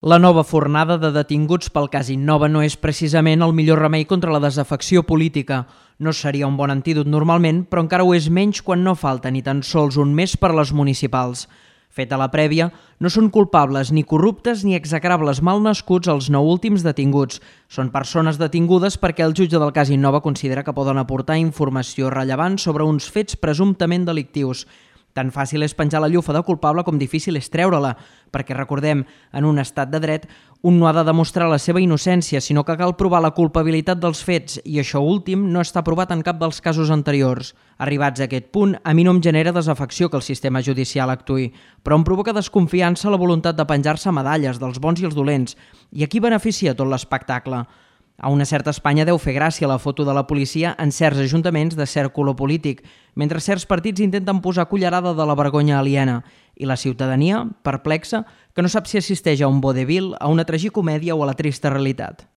La nova fornada de detinguts pel cas Innova no és precisament el millor remei contra la desafecció política. No seria un bon antídot normalment, però encara ho és menys quan no falta ni tan sols un mes per a les municipals. Feta la prèvia, no són culpables ni corruptes ni execrables malnascuts els 9 últims detinguts. Són persones detingudes perquè el jutge del cas Innova considera que poden aportar informació rellevant sobre uns fets presumptament delictius. Tan fàcil és penjar la llufa de culpable com difícil és treure-la, perquè recordem, en un estat de dret, un no ha de demostrar la seva innocència, sinó que cal provar la culpabilitat dels fets, i això últim no està provat en cap dels casos anteriors. Arribats a aquest punt, a mi no em genera desafecció que el sistema judicial actuï, però em provoca desconfiança la voluntat de penjar-se medalles dels bons i els dolents, i a qui beneficia tot l'espectacle? A una certa Espanya deu fer gràcia la foto de la policia en certs ajuntaments de cert color polític, mentre certs partits intenten posar cullerada de la vergonya aliena, i la ciutadania, perplexa, que no sap si assisteix a un vodevil, a una tragicomèdia o a la trista realitat.